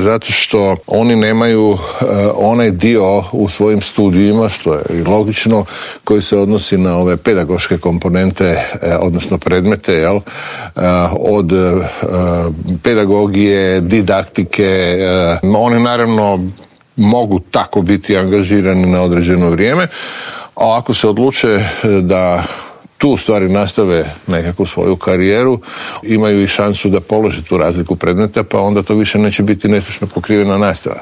zato što oni nemaju onaj dio u svojim studijima, što je i logično, koji se odnosi na ove pedagoške komponente, odnosno predmete, jel? Od pedagogije, didaktike. Oni naravno mogu tako biti angažirani na određeno vrijeme, a ako se odluče da tu stvari nastave nekakvu svoju karijeru, imaju i šansu da polože tu razliku predmeta, pa onda to više neće biti nestručno pokrivena nastava.